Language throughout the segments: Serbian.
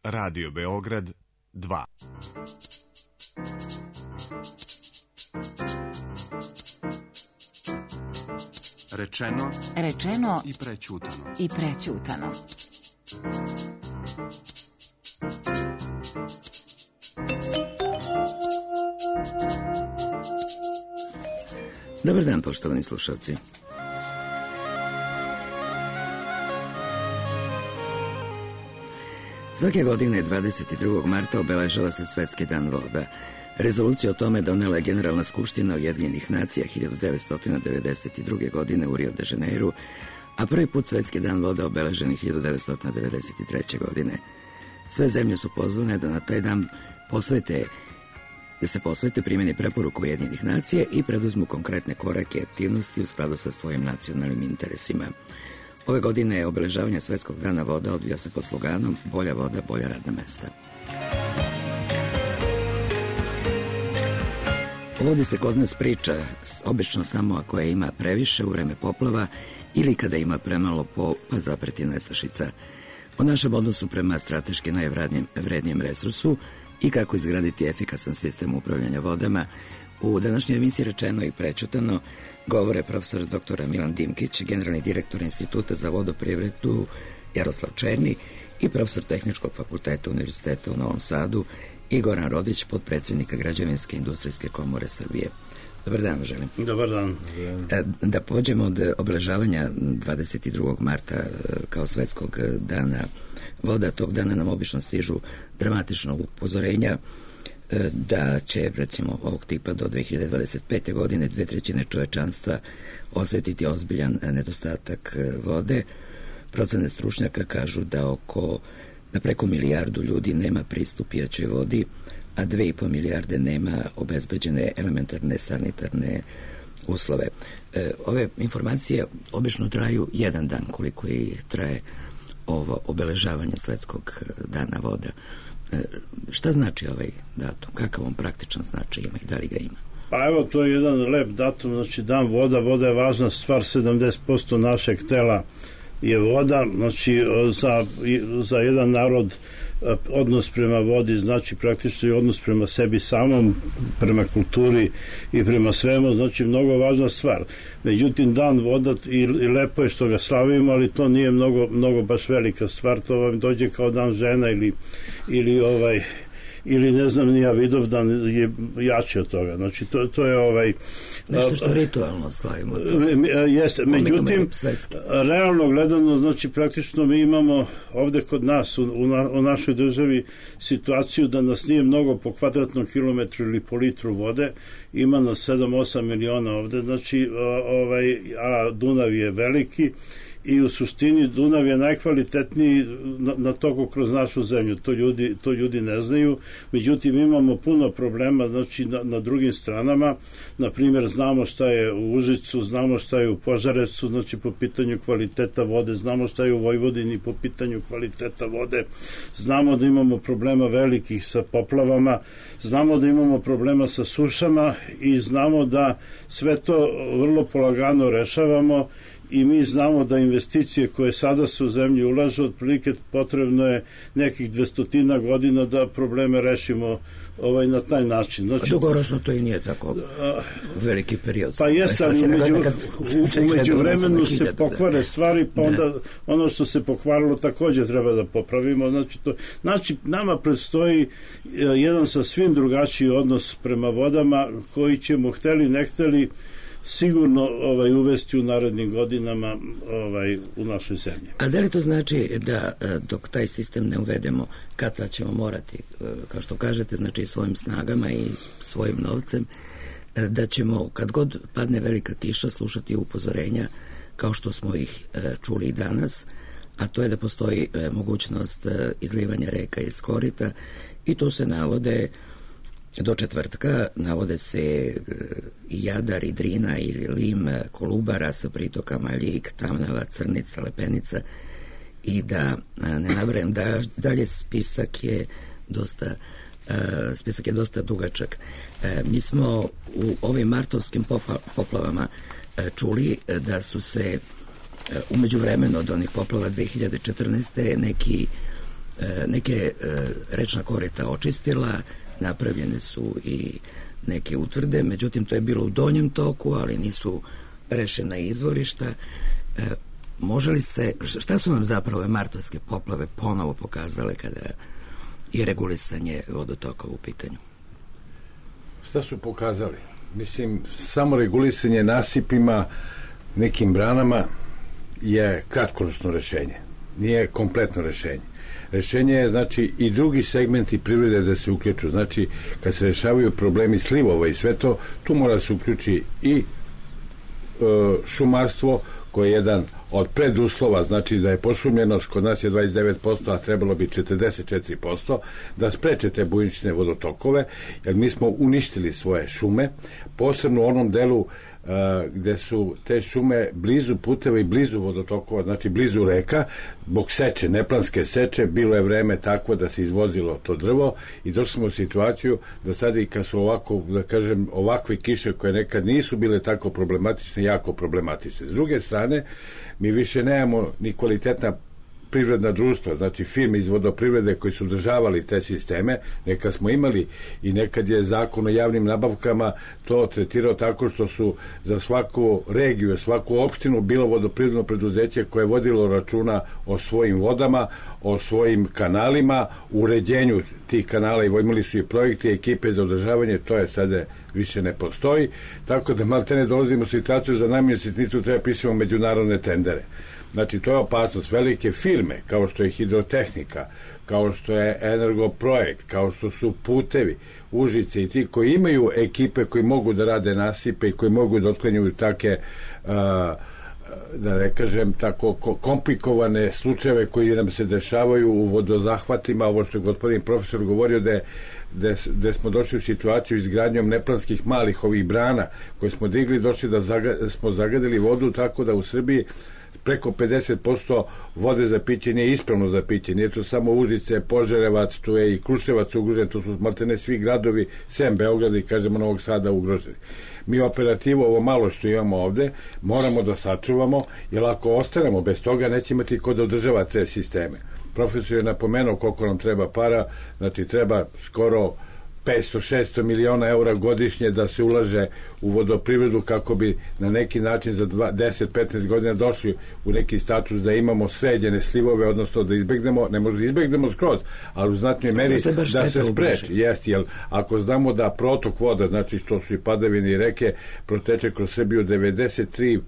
Radio Beograd 2. Rečeno i prećutano. Dobar dan, poštovani slušalci. Svake godine 22. marta obeležava se Svetski dan voda. Rezoluciju o tome donela je Generalna skupština Ujedinjenih nacija 1992. godine u Rio de Janeiru, a prvi put Svetski dan voda obeležen je 1993. godine. Sve zemlje su pozvane da na taj dan se posvete primjeni preporuka Ujedinjenih nacija i preduzmu konkretne korake i aktivnosti u skladu sa svojim nacionalnim interesima. Ove godine obeležavanje Svetskog dana voda odvija se pod sloganom Bolja voda, bolja radna mesta. O vodi se kod nas priča obično samo ako je ima previše u vreme poplava ili kada ima premalo pa zapreti nestašica. O našem odnosu prema strateški najvrednijem resursu i kako izgraditi efikasan sistem upravljanja vodama, u današnjoj emisiji Rečeno i prećutano govore profesor dr. Milan Dimkić, generalni direktor Instituta za vodoprivredu Jaroslav Černi i profesor Tehničkog fakulteta Univerziteta u Novom Sadu i Goran Rodić, potpredsjednika Građevinske industrijske komore Srbije. Dobar dan, želim. Dobar dan. Da pođemo od obeležavanja 22. marta kao Svetskog dana voda. Tog dana nam obično stižu dramatična upozorenja da će, recimo, ovog tipa do 2025. godine 2/3 čovečanstva osetiti ozbiljan nedostatak vode. Procene stručnjaka kažu da preko milijardu ljudi nema pristup pijaćoj vodi, a 2,5 milijarde nema obezbeđene elementarne sanitarne uslove. Ove informacije obično traju jedan dan, koliko i traje ovo obeležavanje Svetskog dana voda. Šta znači ovaj datum? Kakav on praktičan značaj ima i da li ga ima? Pa evo, to je jedan lep datum, znači dan voda. Voda je važna stvar, 70% našeg tela je voda, znači za jedan narod odnos prema vodi znači praktično i odnos prema sebi samom, prema kulturi i prema svemu, znači mnogo važna stvar. Međutim, dan voda i lepo je što ga slavimo, ali to nije mnogo baš velika stvar, to vam dođe kao dan žena ili ne znam, nija Vidovdan je jači od toga. Znači, to je nešto što ritualno slavimo. Jeste, međutim, realno gledano, znači, praktično mi imamo ovde kod nas, u našoj državi, situaciju da nas nije mnogo po kvadratnom kilometru ili po litru vode, ima nas 7-8 miliona ovde, znači, a Dunav je veliki, i u suštini Dunav je najkvalitetniji na toku kroz našu zemlju. To ljudi ne znaju. Međutim, imamo puno problema, znači na drugim stranama. Na primjer, znamo šta je u Užicu, znamo šta je u Požarevcu, znači po pitanju kvaliteta vode, znamo šta je u Vojvodini po pitanju kvaliteta vode, znamo da imamo problema velikih sa poplavama, znamo da imamo problema sa sušama i znamo da sve to vrlo polagano rešavamo. I mi znamo da investicije koje sada se u zemlji ulažu, otprilike potrebno je nekih 200 godina da probleme rešimo na taj način. Znači, dugoročno to i nije tako veliki period. Pa jeste, ali umeđu vremenu se pokvare stvari, pa onda ono što se pokvarilo takođe treba da popravimo. Znači, nama predstoji jedan sasvim drugačiji odnos prema vodama koji ćemo, hteli ne hteli, sigurno uvesti u narednim godinama u našoj zemlji. A da li to znači da dok taj sistem ne uvedemo, kada ćemo morati, kao što kažete, znači svojim snagama i svojim novcem, da ćemo kad god padne velika kiša slušati upozorenja kao što smo ih čuli i danas, a to je da postoji mogućnost izlivanja reka iz korita i to se navode do četvrtka, navode se i Jadar, i Drina, i Lim, Kolubara sa pritokama Ljig, Tamnava, Crnica, Lepenica i da ne nabrajam dalje, spisak je dosta dugačak. Mi smo u ovim martovskim poplavama čuli da su se umeđu vremenu od onih poplava 2014. neki neke rečna korita očistila, napravljene su i neke utvrde, međutim to je bilo u donjem toku, ali nisu rešena izvorišta. Može li se, šta su nam zapravo ove martovske poplave ponovo pokazale kada je regulisanje vodotokova u pitanju? Šta su pokazali? Mislim, samo regulisanje nasipima, nekim branama je kratkoročno rešenje. Nije kompletno rešenje. Rešenje je, znači, i drugi segmenti privrede da se uključu. Znači, kad se rešavaju problemi slivova i sve to, tu mora se uključi i šumarstvo, koje je jedan od preduslova, znači da je pošumljenost, kod nas je 29%, a trebalo bi 44%, da spreče te bujične vodotokove, jer mi smo uništili svoje šume, posebno u onom delu gde su te šume blizu puteva i blizu vodotokova, znači blizu reka, zbog seče, neplanske seče, bilo je vreme takvo da se izvozilo to drvo i došli smo u situaciju da sad i kad su ovako, da kažem, ovakve kiše koje nekad nisu bile tako problematične, jako problematične. S druge strane, mi više nemamo ni kvalitetna privredna društva, znači firme iz vodoprivrede koji su održavali te sisteme, nekad smo imali i nekad je zakon o javnim nabavkama to tretirao tako što su za svaku regiju, svaku opštinu bilo vodoprivredno preduzeće koje je vodilo računa o svojim vodama, o svojim kanalima, uređenju tih kanala i imali su i projekte i ekipe za održavanje, to je sada više ne postoji, tako da maltene dolazimo u situaciju za najmanju sitnicu treba pisati međunarodne tendere. Znači, to je opasnost. Velike firme, kao što je Hidrotehnika, kao što je Energoprojekt, kao što su Putevi, Užice i ti koji imaju ekipe koji mogu da rade nasipe i koji mogu da otklanjaju take, da ne kažem, tako komplikovane slučajeve koji nam se dešavaju u vodozahvatima, ovo što je gospodin profesor govorio da smo došli u situaciju izgradnjom neplanskih malih ovih brana koje smo digli, došli da smo zagadili vodu tako da u Srbiji preko 50% vode za piće nije ispravno za piće, nije to samo Užice, Požarevac, tu je i Kruševac ugrožen, tu su maltene svi gradovi, sem Beograda i kažemo Novog Sada ugroženi. Mi operativu, ovo malo što imamo ovde, moramo da sačuvamo, jer ako ostanemo bez toga, neće imati ko da održava te sisteme. Profesor je napomenuo koliko nam treba para, znači treba skoro 500-600 miliona eura godišnje da se ulaže u vodoprivredu kako bi na neki način za 10-15 godina došli u neki status da imamo sređene slivove, odnosno da izbegnemo, ne možda izbegnemo skroz, ali u znatnoj meri da se spreči. Jeste, jer ako znamo da protok voda, znači što su i padavine i reke, proteče kroz Srbiju 93%,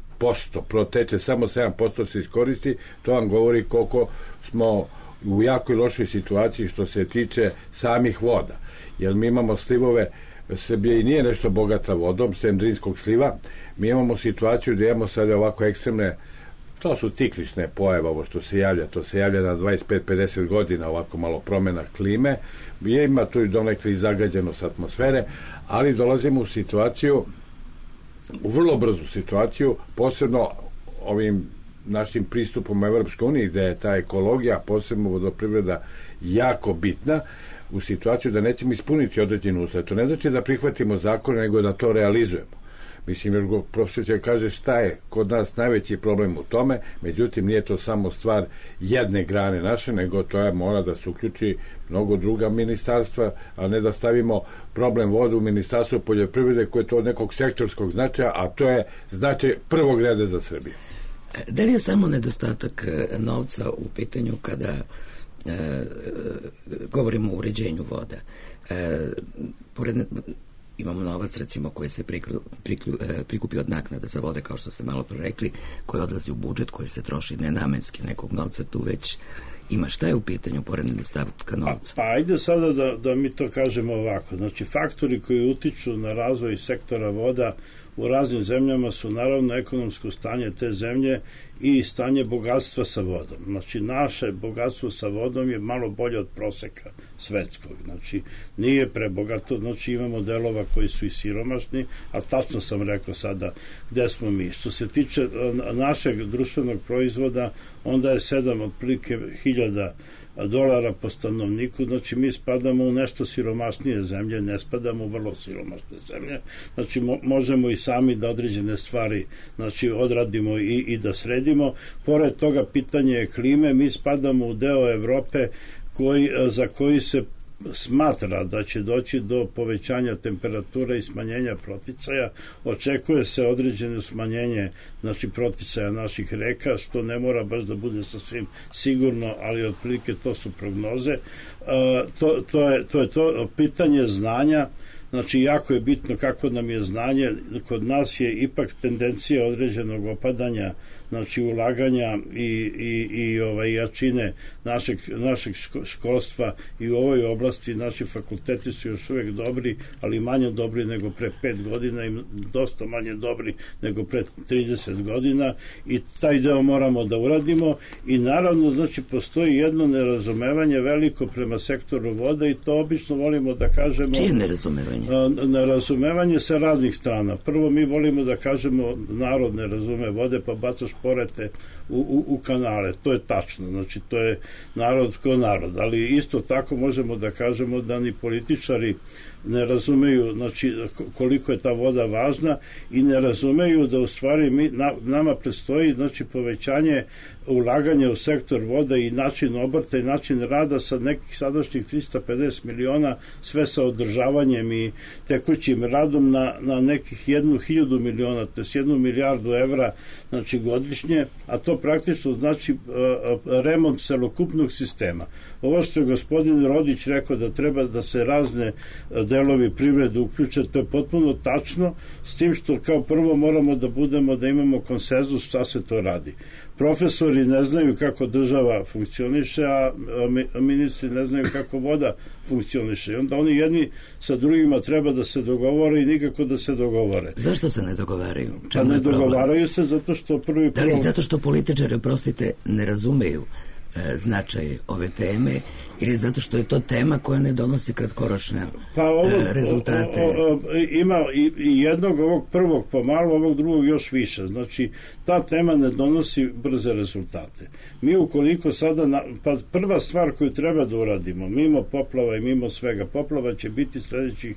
proteče, samo 7% se iskoristi, to vam govori koliko smo u jakoj lošoj situaciji što se tiče samih voda. Jer mi imamo slivove, Srbija i nije nešto bogata vodom, sem Drinskog sliva, mi imamo situaciju da imamo sada ovako ekstremne, to su ciklične pojave, ovo što se javlja, to se javlja na 25-50 godina, ovako malo promena klime, ima tu i donekle i zagađenost atmosfere, ali dolazimo u situaciju, u vrlo brzu situaciju, posebno ovim našim pristupom u Evropskoj uniji, gde je ta ekologija, posebno vodoprivreda, jako bitna, u situaciju da nećemo ispuniti određenu uslove. To ne znači da prihvatimo zakone, nego da to realizujemo. Mislim, jer profesor će kaže šta je kod nas najveći problem u tome, međutim nije to samo stvar jedne grane naše, nego to je mora da se uključi mnogo druga ministarstva, a ne da stavimo problem vode u ministarstvo poljoprivrede koje je to od nekog sektorskog značaja, a to je značaj prvog reda za Srbiju. Da li je samo nedostatak novca u pitanju kada govorimo o uređenju voda? Imamo novac recimo koji se prikupi od naknada za vode, kao što ste malo prorekli, koji odlazi u budžet, koji se troši nenamenski, nekog novca tu već ima. Šta je u pitanju pored nedostatka novca? Pa ajde sada da mi to kažemo ovako. Znači, faktori koji utiču na razvoj sektora voda u raznim zemljama su naravno ekonomsko stanje te zemlje i stanje bogatstva sa vodom. Znači, naše bogatstvo sa vodom je malo bolje od proseka svetskog. Znači, nije prebogato, znači imamo delova koji su i siromašni, a tačno sam rekao sada gde smo mi. Što se tiče našeg društvenog proizvoda, onda je 7 otprilike $1.000 po stanovniku, znači mi spadamo u nešto siromašnije zemlje, ne spadamo u vrlo siromašne zemlje, znači možemo i sami da određene stvari znači odradimo i da sredimo. Pored toga pitanje je klime, mi spadamo u deo Evrope za koji se smatra da će doći do povećanja temperature i smanjenja proticaja. Očekuje se određeno smanjenje, znači, proticaja naših reka, što ne mora baš da bude sasvim sigurno, ali otprilike to su prognoze. To je to pitanje znanja. Znači, jako je bitno kako nam je znanje. Kod nas je ipak tendencija određenog opadanja, znači ulaganja i jačine našeg školstva i u ovoj oblasti. Naši fakulteti su još uvek dobri, ali manje dobri nego pre 5 godina i dosta manje dobri nego pre 30 godina, i taj deo moramo da uradimo. I naravno, znači, postoji jedno nerazumevanje veliko prema sektoru vode, i to obično volimo da kažemo. Čije nerazumevanje? Nerazumevanje sa raznih strana. Prvo, mi volimo da kažemo narod ne razume vode, pa bacaš porete u kanale. To je tačno, znači to je narod ko narod, ali isto tako možemo da kažemo da ni političari ne razumeju, znači, koliko je ta voda važna, i ne razumeju da u stvari nama predstoji, znači, povećanje ulaganja u sektor voda i način obrta i način rada sa nekih sadašnjih 350 miliona, sve sa održavanjem i tekućim radom na nekih 1.000 miliona, to je 1 milijardu evra, znači, godišnje, a to praktično znači remont celokupnog sistema. Ovo što je gospodin Rodić rekao da treba da se razne delovi privrede uključe, to je potpuno tačno, s tim što kao prvo moramo da imamo konsenzus šta se to radi. Profesori ne znaju kako država funkcioniše, a ministri ne znaju kako voda funkcioniše. I onda oni jedni sa drugima treba da se dogovore i nikako da se dogovore. Zašto se ne dogovaraju? Pa ne dogovaraju se zato što prvi... Da li zato što političari, oprostite, ne razumeju značaj ove teme, ili zato što je to tema koja ne donosi kratkoročne rezultate? Ima i jednog, ovog prvog pomalo, ovog drugog još više. Znači, ta tema ne donosi brze rezultate. Mi ukoliko sada, pa prva stvar koju treba da uradimo, mimo poplava i mimo svega, poplava će biti sledećih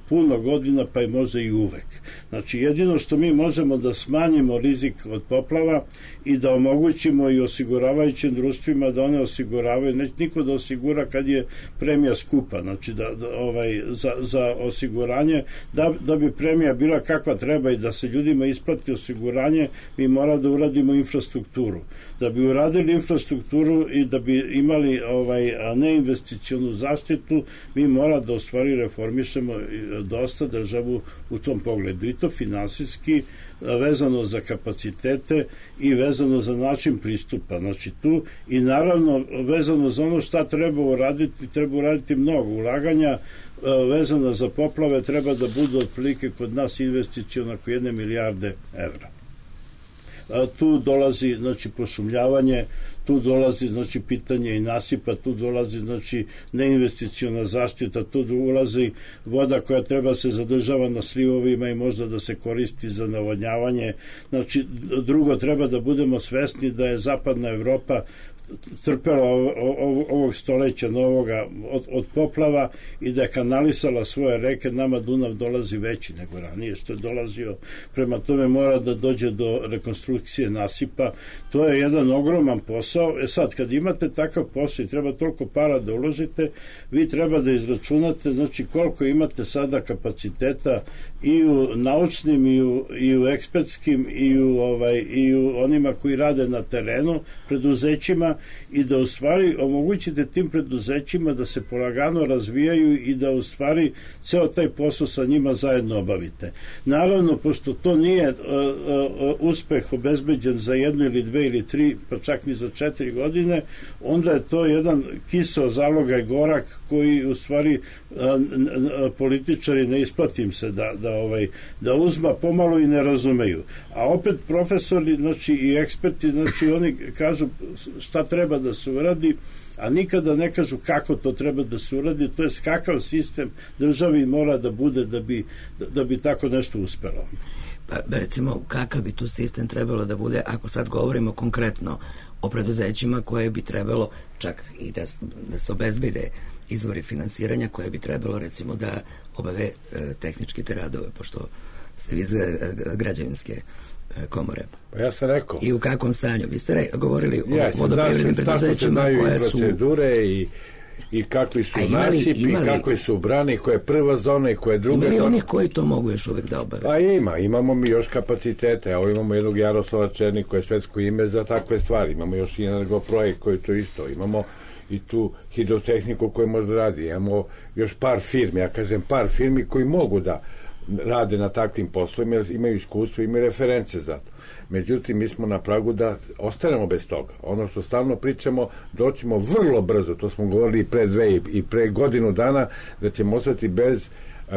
puno godina, pa i možda i uvek. Znači, jedino što mi možemo da smanjimo rizik od poplava i da omogućimo i osiguravajućim društvima da one osiguravaju, neće niko da osigura kad je premija skupa, znači za osiguranje, da bi premija bila kakva treba i da se ljudima isplati osiguranje, mi mora da uradimo infrastrukturu. Da bi uradili infrastrukturu i da bi imali neinvesticionu zaštitu, mi mora da u stvari reformišemo dosta državu u tom pogledu, i to finansijski, vezano za kapacitete i vezano za način pristupa, znači tu, i naravno vezano za ono šta treba uraditi mnogo ulaganja vezano za poplave, treba da budu otprilike kod nas investiciona oko 1 milijarde evra. Tu dolazi, znači, pošumljavanje, tu dolazi, znači, pitanje i nasipa, tu dolazi, znači, neinvesticiona zaštita, tu ulazi voda koja treba se zadržava na slivovima i možda da se koristi za navodnjavanje. Znači, drugo, treba da budemo svesni da je zapadna Evropa trpela ovog stoleća novoga od poplava i da je kanalisala svoje reke. Nama Dunav dolazi veći nego ranije što je dolazio, prema tome mora da dođe do rekonstrukcije nasipa. To je jedan ogroman posao. Sad, kad imate takav posao i treba toliko para da uložite, vi treba da izračunate, znači, koliko imate sada kapaciteta i u naučnim i u ekspertskim i u onima koji rade na terenu, preduzećima, i da u stvari omogućite tim preduzećima da se polagano razvijaju i da u stvari ceo taj posao sa njima zajedno obavite. Naravno, pošto to nije uspeh obezbeđen za 1 ili 2 ili 3, pa čak ni za 4 godine, onda je to jedan kiseo zalogaj gorak koji u stvari političari ne isplati im se da uzma pomalo i ne razumeju. A opet profesori, znači, i eksperti, znači, oni kažu šta treba da se uradi, a nikada ne kažu kako to treba da se uradi, to je kakav sistem državi mora da bude da bi tako nešto uspelo. Pa recimo, kakav bi tu sistem trebalo da bude, ako sad govorimo konkretno o preduzećima koje bi trebalo čak i da se obezbede izvori finansiranja, koje bi trebalo recimo da obave tehnički te radove, pošto ste vi iz građevinske komore. Pa ja sam rekao. I u kakvom stanju? Vi ste govorili o vodoprivrednim preduzećima koje su... procedure i i kakvi su nasipi, kakve su brane, koja je prva zona i koja je druga. Ima li onih koji to mogu još uvek da obave? Pa imamo mi još kapacitete. Evo imamo jednog Jaroslava Černik koji je svetsko ime za takve stvari. Imamo još i Energoprojekt koji to isto. Imamo i tu hidrotehniku koja može da radi. Imamo još par firmi, ja kažem par firmi koji mogu da rade na takvim poslovima, jer imaju iskustvo, imaju reference za to. Međutim, mi smo na pragu da ostanemo bez toga. Ono što stalno pričamo, doćemo vrlo brzo, to smo govorili pre 2 i pre godinu dana, da ćemo ostati bez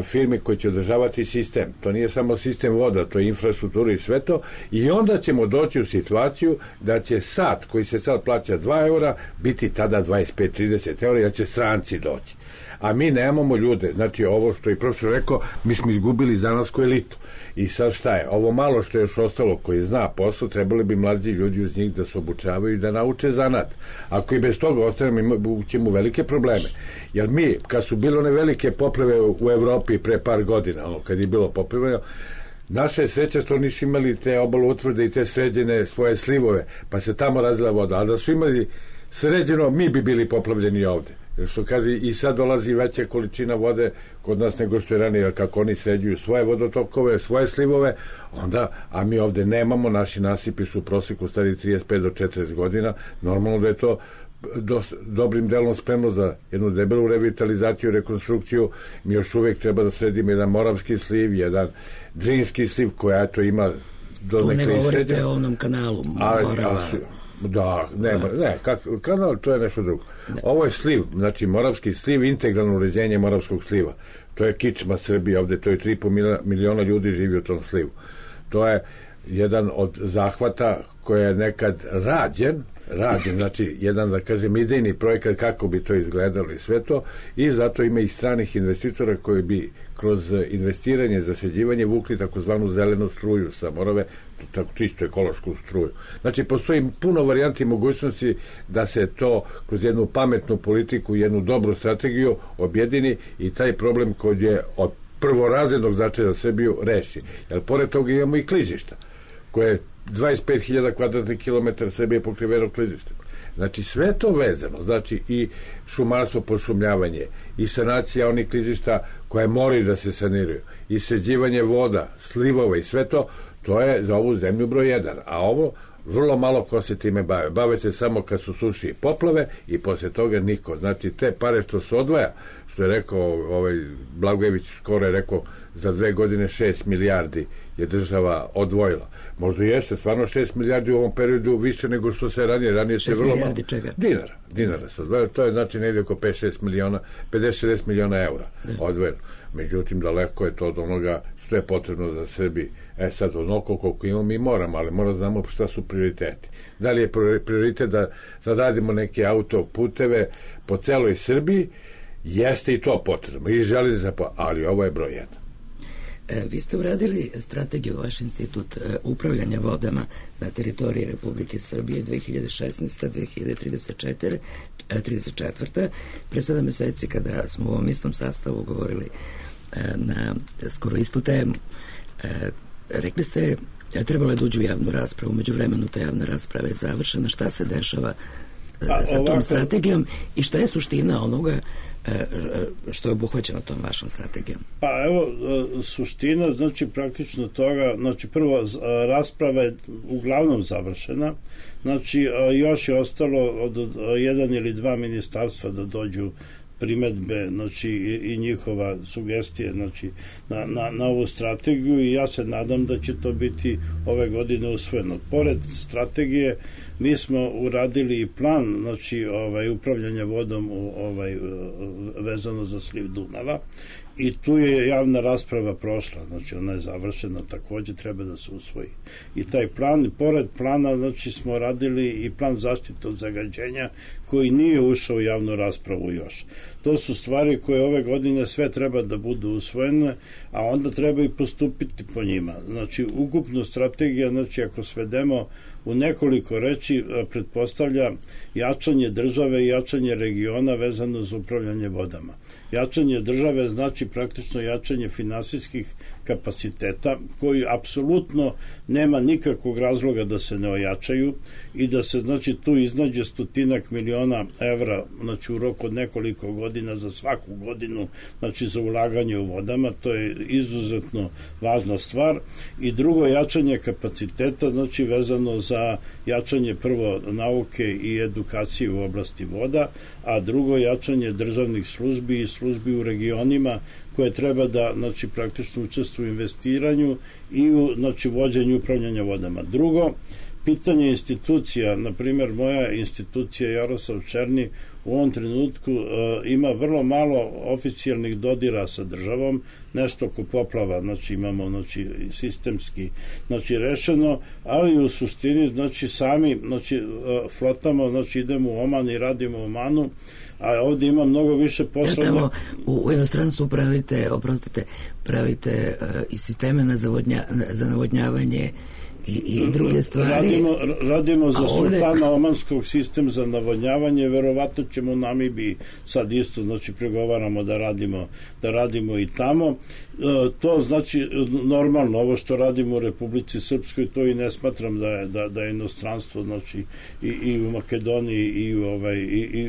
firmi koji će održavati sistem. To nije samo sistem voda, to je infrastruktura i sve to. I onda ćemo doći u situaciju da će sat koji se sad plaća 2 eura biti tada 25-30 eura, jer će stranci doći. A mi nemamo ljude. Znači, ovo što je profesor rekao, mi smo izgubili zanatsku elitu. I sad šta je? Ovo malo što je još ostalo koji zna posao, trebali bi mlađi ljudi uz njih da se obučavaju i da nauče zanat. Ako i bez toga ostanemo, ćemo velike probleme. Jer mi, kad su bile one velike poplave u Evropi pre par godina, kad je bilo poplave, naša je sreća što nisu imali te obaloutvrde i te sređene svoje slivove, pa se tamo razlila voda. A da su imali sređeno, mi bi bili poplavljeni ovde. Jer što kaže, i sad dolazi veća količina vode kod nas nego što je ranije, jer kako oni sređuju svoje vodotokove, svoje slivove, onda, a mi ovde nemamo, naši nasipi su u proseku stari 35 do 40 godina, normalno da je to dobrim delom spremno za jednu debelu revitalizaciju, rekonstrukciju. Mi još uvek treba da sredimo jedan Moravski sliv, jedan Drinski sliv, koja eto ima tu ne govorite o onom kanalu Morava. Da, kanal, to je nešto drugo. Ovo je sliv, znači Moravski sliv, integralno uređenje Moravskog sliva. To je kičma Srbije, ovde to je 3,5 miliona ljudi živi u tom slivu. To je jedan od zahvata koji je nekad rađen, znači jedan, da kažem, idejni projekat kako bi to izgledalo i sve to, i zato ima i stranih investitora koji bi kroz investiranje, zaseđivanje vukli takozvanu zelenu struju sa Morave, tako čisto ekološku struju. Znači, postoji puno varijanti i mogućnosti da se to kroz jednu pametnu politiku, jednu dobru strategiju objedini i taj problem koji je od prvorazrednog značaja za Srbiju reši. Jer pored toga imamo i klizišta, koje 25.000 kvadratnih kilometara Srbije je pokriveno klizištem. Znači, sve to vezano, znači i šumarstvo, pošumljavanje, i sanacija onih klizišta koje moraju da se saniraju, i sređivanje voda, slivova i sve to, to je za ovu zemlju broj 1. A ovo, vrlo malo ko se time bave. Bave se samo kad su suši i poplave i posle toga niko. Znači, te pare što se odvaja, što je rekao Blagojević, skoro je rekao, za 2 godine 6 milijardi je država odvojila. Možda jeste, stvarno 6 milijardi u ovom periodu više nego što se ranije se vrlo malo. 6 milijardi čega? Dinara se odvojila. To je znači negdje oko 5-6 miliona, 50-60 miliona eura odvojeno. Međutim, daleko je to od onoga što je potrebno za Srbiji. Sad, onoliko koliko imamo, mi moramo, ali moramo znamo šta su prioriteti. Da li je prioritet da sad radimo neke autoputeve po celoj Srbiji? Jeste i to potrebno. I železnica, ali ovo je broj 1. Vi ste uradili strategiju, vaš institut upravljanja vodama na teritoriji Republike Srbije 2016-2034. Pre 7 meseci kada smo u ovom istom sastavu govorili na skoro istu temu, rekli ste trebalo je da uđu u javnu raspravu. Među vremenu ta javna rasprava je završena. Šta se dešava sa tom strategijom i šta je suština onoga što je obuhvaćeno tom vašom strategijom? Pa evo, suština znači praktično toga, znači prvo rasprava je uglavnom završena, znači još je ostalo od 1 ili 2 ministarstva da dođu primetbe, znači i njihova sugestije, znači na ovu strategiju, i ja se nadam da će to biti ove godine usvojeno. Pored strategije mi smo uradili i plan, znači upravljanja vodom vezano za sliv Dunava, i tu je javna rasprava prošla, znači ona je završena, takođe treba da se usvoji i taj plan. I pored plana, znači, smo radili i plan zaštite od zagađenja koji nije ušao u javnu raspravu još. To su stvari koje ove godine sve treba da budu usvojene, a onda treba i postupiti po njima. Znači, ukupno strategija, znači, ako svedemo u nekoliko reči pretpostavlja jačanje države i jačanje regiona vezano za upravljanje vodama. Jačanje države znači praktično jačanje finansijskih kapaciteta koji apsolutno nema nikakvog razloga da se ne ojačaju i da se znači tu iznađe 100 miliona evra znači u roku od nekoliko godina za svaku godinu znači za ulaganje u vodama. To je izuzetno važna stvar. I drugo, jačanje kapaciteta znači vezano za jačanje prvo nauke i edukacije u oblasti voda, a drugo jačanje državnih službi i službi u regionima koje treba da znači praktično učestvuju u investiranju i u znači vođenju upravljanja vodama. Drugo, pitanje institucija, na primjer moja institucija Jaroslav Černi u ovom trenutku ima vrlo malo oficijalnih dodira sa državom, nešto oko poplava, znači imamo znači sistemski znači rešeno, ali u suštini znači sami znači flotamo, znači idemo u Oman i radimo u Omanu, a ovdje ima mnogo više posla. Tamo u inostranstvu pravite i sisteme za navodnjavanje i druge stvari. Radimo za sultana omanskog sistem za navodnjavanje, verovatno ćemo u Namibiji sad isto, znači pregovaramo da radimo i tamo. To znači normalno, ovo što radimo u Republici Srpskoj, to i ne smatram da je inostranstvo, znači i u Makedoniji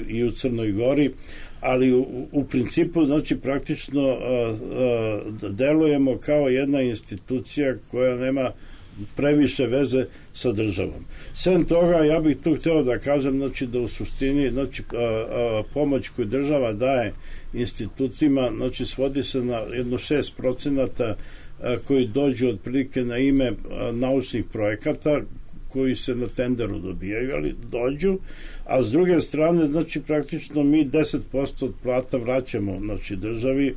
i u Crnoj Gori, ali u principu znači praktično delujemo kao jedna institucija koja nema previše veze sa državom. Sem toga, ja bih tu hteo da kažem znači da u suštini znači pomoć koju država daje institucijama znači svodi se na jedno 6% koji dođu otprilike na ime naučnih projekata koji se na tenderu dobijaju, ali dođu, a s druge strane znači praktično mi 10% od plata vraćamo znači državi.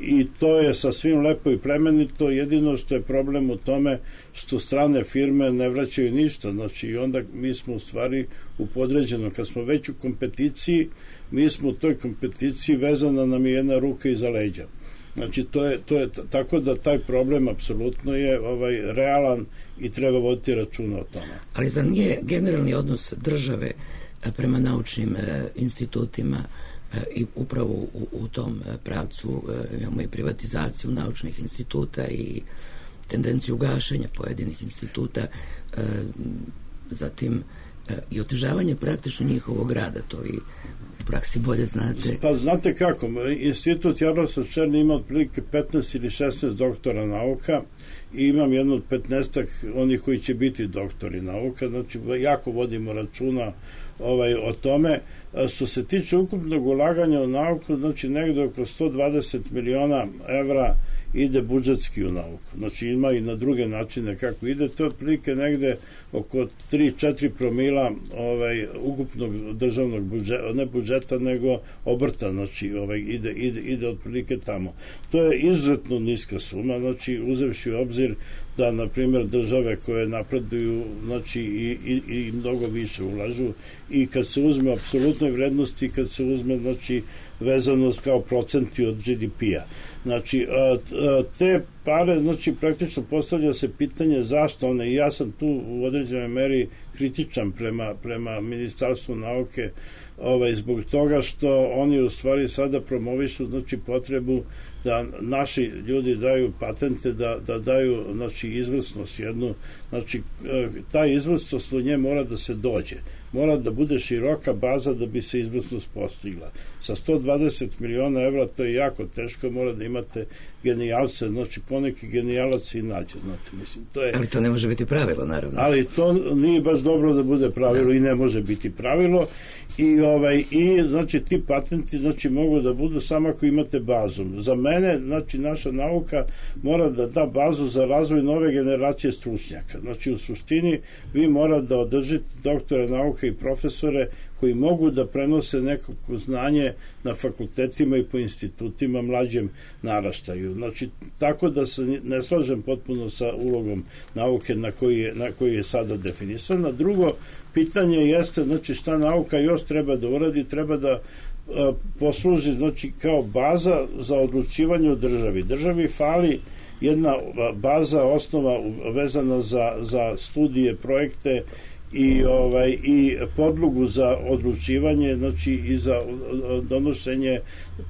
I to je sasvim lepo i plemenito, jedino što je problem u tome što strane firme ne vraćaju ništa, znači i onda mi smo u stvari u podređenom, kad smo već u kompeticiji, mi smo u toj kompeticiji, vezana nam je jedna ruka iza leđa. Znači to je tako da taj problem apsolutno je realan i treba voditi računa o tome. Ali zar nije generalni odnos države prema naučnim institutima i upravo u tom pravcu imamo i privatizaciju naučnih instituta i tendenciju gašenja pojedinih instituta, zatim i otežavanje praktično njihovog rada, to i u praksi bolje znate. Pa znate kako, institut Jaroslav Černi ima otprilike 15 ili 16 doktora nauka i imam jedno od 15 onih koji će biti doktori nauka, znači jako vodimo računa o tome. Što se tiče ukupnog ulaganja u nauku, znači negde oko 120 miliona evra ide budžetski u nauku. Znači ima i na druge načine kako ide, to je otprilike negde oko 3-4 promila ukupnog državnog budžeta, ne budžeta nego obrta, znači ide otprilike tamo. To je izuzetno niska suma, znači uzevši u obzir da na primjer države koje napreduju znači i mnogo više ulažu i kad se uzme apsolutnoj vrednosti, kad se uzme znači vezanost kao procenti od GDP-a. Znači te pare, znači praktično postavlja se pitanje zašto one, i ja sam tu u određenoj meri kritičan prema Ministarstvu nauke zbog toga što oni u stvari sada promovišu znači potrebu da naši ljudi daju patente, da daju znači izvrsnost jednu, znači ta izvrsnost u nje mora da se dođe, mora da bude široka baza da bi se izvrsnost postigla. Sa 120 miliona evra to je jako teško, mora da imate genijalce, znači poneki genijalac i nađe, znate, mislim, to je... Ali to ne može biti pravilo, naravno. Ali to nije baš dobro da bude pravilo i ne može biti pravilo i znači ti patenti znači mogu da budu samo ako imate bazu. Za mene, znači naša nauka mora da da bazu za razvoj nove generacije stručnjaka. Znači u suštini vi mora da održite doktore nauke i profesore koji mogu da prenose neko znanje na fakultetima i po institutima mlađem naraštaju. Znači, tako da se ne slažem potpuno sa ulogom nauke na koji je sada definisana. Drugo pitanje jeste, znači, šta nauka još treba da uradi, treba da posluži znači kao baza za odlučivanje u državi. Državi fali jedna baza, osnova vezana za studije, projekte i podlogu za odlučivanje, znači i za donošenje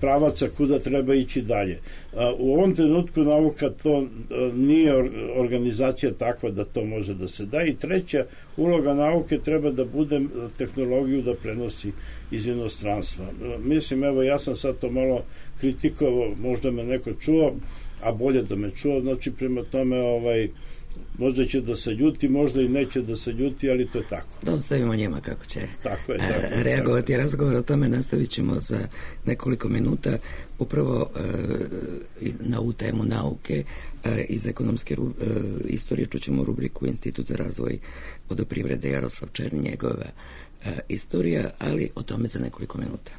pravaca kuda treba ići dalje. U ovom trenutku nauka to nije organizacija takva da to može da se da, i treća uloga nauke treba da bude tehnologiju da prenosi iz inostranstva. Mislim, evo, ja sam sad to malo kritikovao, možda me neko čuo, a bolje da me čuo, znači prema tome možda će da se ljuti, možda i neće da se ljuti, ali to je tako. Da ostavimo njima kako će tako je, reagovati. Tako. Razgovor o tome nastavit ćemo za nekoliko minuta. Upravo na ovu temu nauke iz ekonomske istorije čućemo rubriku Institut za razvoj vodoprivrede Jaroslav Černi, njegova istorija, ali o tome za nekoliko minuta.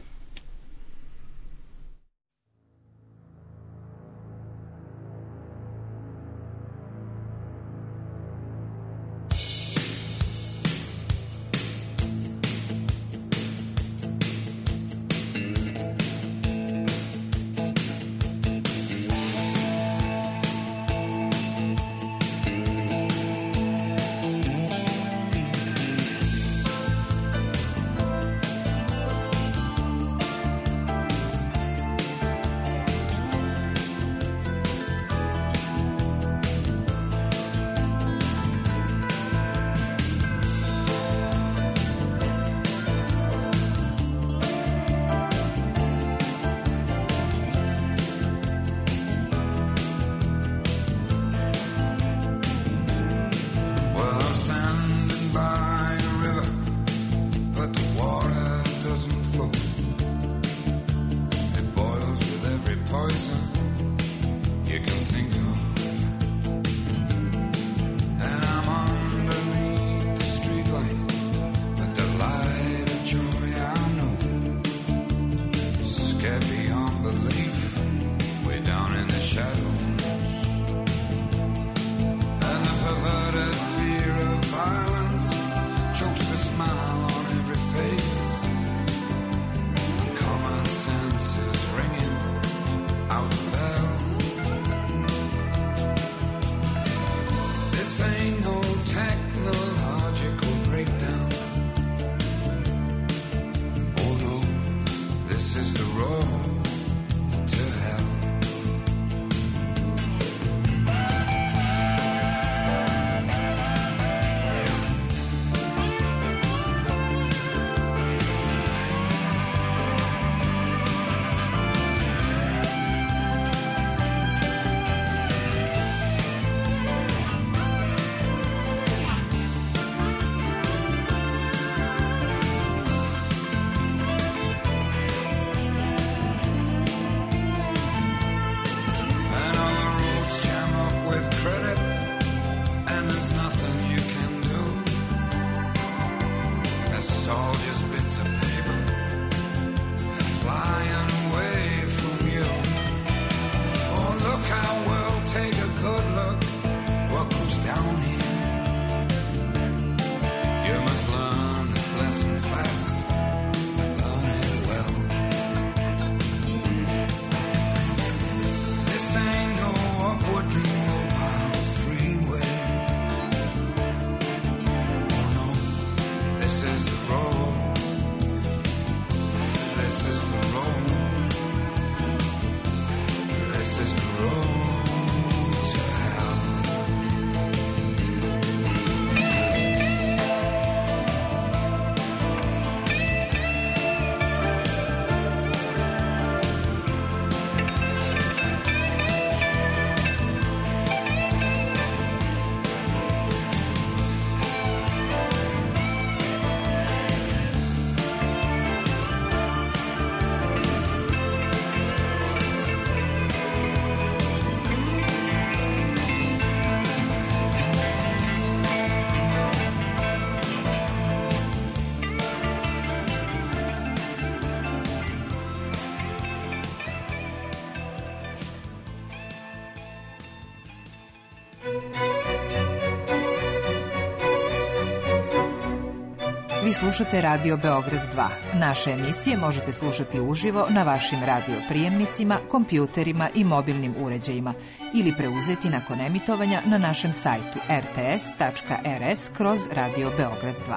Vi slušate Radio Beograd 2. Naše emisije možete slušati uživo na vašim radio prijemnicima, kompjuterima i mobilnim uređajima ili preuzeti nakon emitovanja na našem sajtu rts.rs/Radio Beograd 2.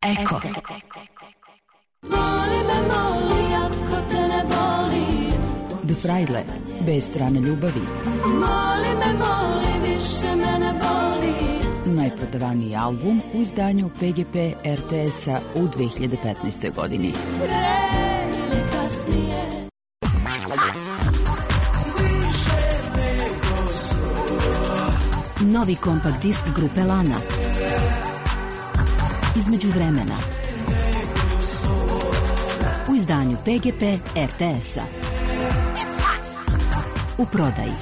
Eko. Moli me, moli, ako te ne boli. The Fraile, bez strane ljubavi. Moli me, moli, više me ne boli. Najprodavaniji album u izdanju PGP RTS-a u 2015. godini. Pre ili kasnije. Novi kompakt disk grupe Lana. Između vremena. U izdanju PGP RTS-a. U prodaji.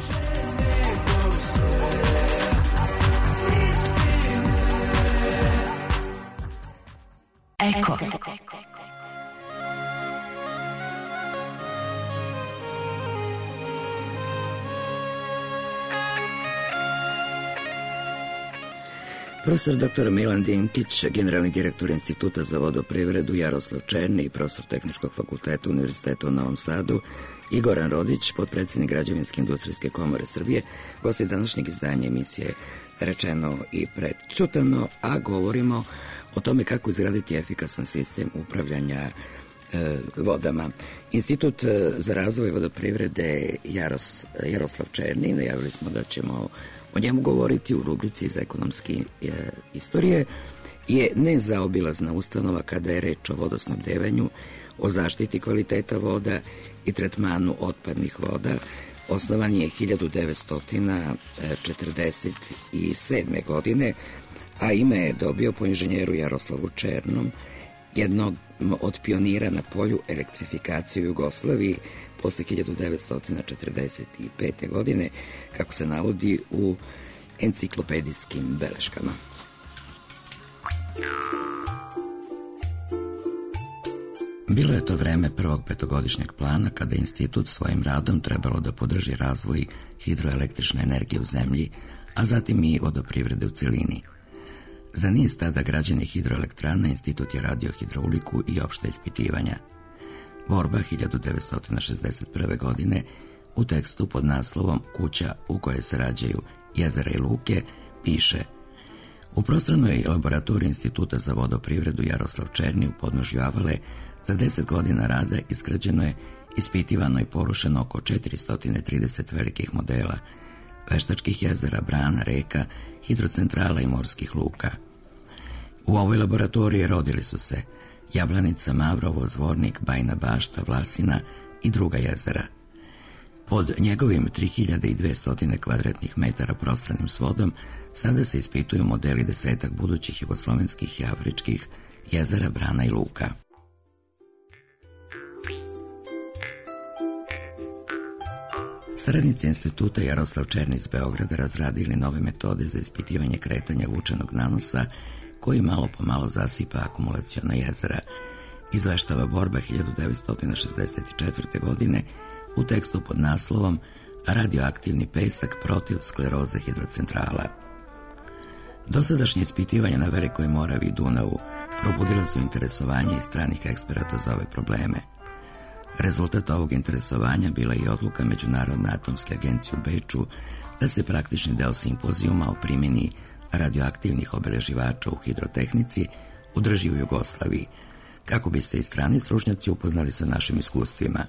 Eko. Profesor dr. Milan Dinkić, generalni direktor Instituta za vodoprivredu, Jaroslav Černi, profesor Tehničkog fakulteta Univerziteta u Novom Sadu i Goran Rodić, potpredsjednik Građevinske industrijske komore Srbije, gosti današnjeg izdanja emisije Rečeno i prečutano, a govorimo o tome kako izgraditi efikasan sistem upravljanja vodama. Institut za razvoj vodoprivrede Jaroslav Černi, najavili smo da ćemo o njemu govoriti u rubrici za ekonomske istorije, je nezaobilazna ustanova kada je reč o vodosnabdevanju, o zaštiti kvaliteta voda i tretmanu otpadnih voda. Osnovan je 1947. godine, a ime je dobio po inženjeru Jaroslavu Černom, jednog od pionira na polju elektrifikacije u Jugoslaviji posle 1945. godine, kako se navodi u enciklopedijskim beleškama. Bilo je to vreme prvog petogodišnjeg plana kada je institut svojim radom trebalo da podrži razvoj hidroelektrične energije u zemlji, a zatim i vodoprivrede u celini. Za niz tada građenih hidroelektrana institut je radio hidrauliku i opšta ispitivanja. Borba 1961. godine u tekstu pod naslovom Kuća u kojoj se rađaju jezera i luke piše: u prostranoj laboratoriji Instituta za vodoprivredu Jaroslav Černi u podnožju Avale za 10 godina rada izgrađeno je, ispitivano i porušeno oko 430 velikih modela, veštačkih jezera, brana, reka, hidrocentrala i morskih luka. U ovoj laboratoriji rodili su se Jablanica, Mavrovo, Zvornik, Bajna Bašta, Vlasina i druga jezera. Pod njegovim 3200 kvadratnih metara prostranim svodom sada se ispituju modeli desetak budućih jugoslovenskih i afričkih jezera, brana i luka. Saradnici instituta Jaroslav Černi iz Beograda razradili nove metode za ispitivanje kretanja vučenog nanosa koji malo po malo zasipa akumulaciona jezera, izveštava Borba 1964. godine u tekstu pod naslovom Radioaktivni pesak protiv skleroze hidrocentrala. Dosadašnje ispitivanja na Velikoj Moravi i Dunavu probudila su interesovanje i stranih eksperata za ove probleme. Rezultat ovog interesovanja bila je i odluka Međunarodne atomske agencije u Beču da se praktični deo simpozijuma o primjeni radioaktivnih obeleživača u hidrotehnici održi u Jugoslaviji, kako bi se i strani stručnjaci upoznali sa našim iskustvima.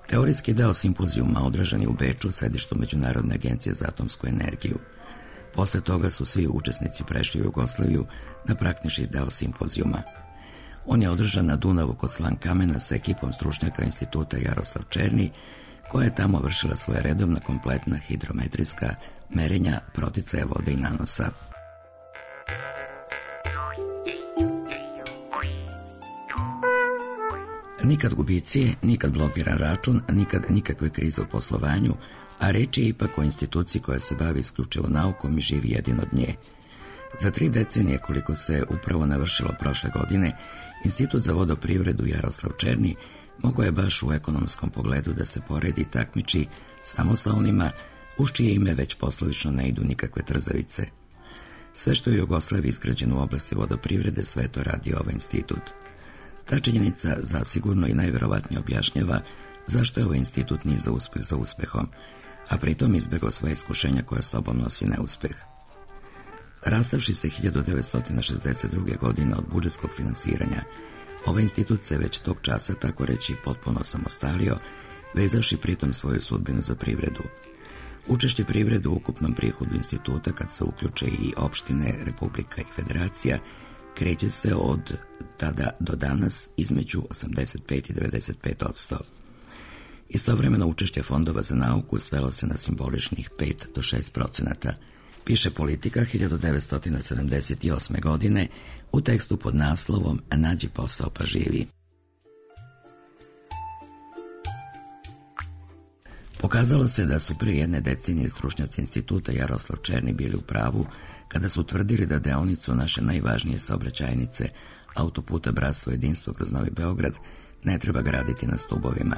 Teorijski deo simpozijuma održan je u Beču, sedištu Međunarodne agencije za atomsku energiju. Posle toga su svi učesnici prešli u Jugoslaviju na praktični deo simpozijuma. On je održan na Dunavu kod Slankamena sa ekipom stručnjaka instituta Jaroslav Černi, koja je tamo vršila svoja redovna kompletna hidrometrijska merenja proticaja vode i nanosa. Nikad gubicije, nikad blokiran račun, nikad nikakve krize u poslovanju, a reč je ipak o instituciji koja se bavi isključivo naukom i živi jedino od nje. Za 3 decenije, koliko se upravo navršilo prošle godine, Institut za vodoprivredu Jaroslav Černi mogao je baš u ekonomskom pogledu da se poredi i takmiči samo sa onima uz čije ime već poslovično ne idu nikakve trzavice. Sve što je u Jugoslaviji izgrađeno u oblasti vodoprivrede, sve to radi ovaj institut. Ta činjenica zasigurno i najverovatnije objašnjava zašto je ovaj institut niza uspeh za uspehom, a pritom izbegao sva iskušenja koja sobom nosi neuspeh. Rastavši se 1962. godine od budžetskog finansiranja, ovaj institut se već tog časa, tako reći, potpuno samostalio, vezavši pritom svoju sudbinu za privredu. Učešće privrede u ukupnom prihodu instituta, kad se uključe i opštine, republika i federacija, kreće se od tada do danas između 85 i 95%. Istovremeno učešće fondova za nauku svelo se na simboličnih 5 do 6%. Piše Politika 1978. godine u tekstu pod naslovom Nađi posao pa živi. Pokazalo se da su pre jedne decenije stručnjaci instituta Jaroslav Černi bili u pravu kada su tvrdili da deonicu naše najvažnije saobraćajnice, autoputa Bratstvo jedinstvo kroz Novi Beograd, ne treba graditi na stubovima.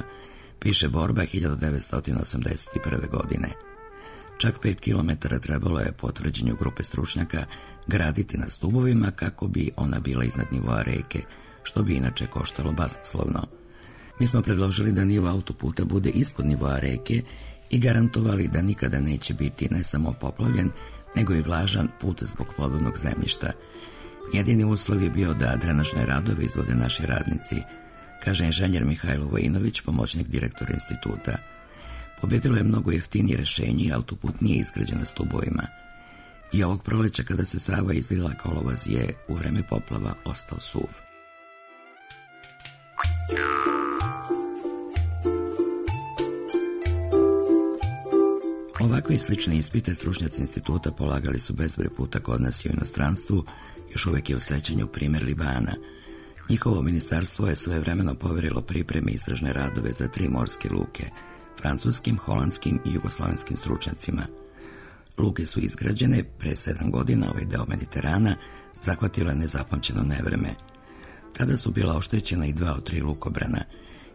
Piše Borba 1981. godine. Čak 5 kilometara trebalo je, po tvrđenju grupe stručnjaka, graditi na stubovima kako bi ona bila iznad nivoa reke, što bi inače koštalo basnoslovno. Mi smo predložili da nivo autoputa bude ispod nivoa reke i garantovali da nikada neće biti ne samo poplavljen, nego i vlažan put zbog podvodnog zemljišta. Jedini uslov je bio da drenažne radove izvode naši radnici, kaže inženjer Mihajlo Vojinović, pomoćnik direktora instituta. Pobjedilo je mnogo jeftinije rešenje i autoput nije izgrađen na stubovima. I ovog proleća, kada se Sava izlila kolovoz, je u vreme poplava ostao suv. Ovakve i slične ispite stručnjaci instituta polagali su bezbroj puta kod nas i u inostranstvu, još uvijek je u sećanju primjer Libana. Njihovo ministarstvo je svojevremeno poverilo pripreme istražne radove za 3 morske luke, francuskim, holandskim i jugoslavenskim stručnjacima. Luke su izgrađene pre 7 godina, ovaj deo Mediterana zahvatilo je nezapamćeno nevreme. Tada su bila oštećena i 2 od 3 lukobrana.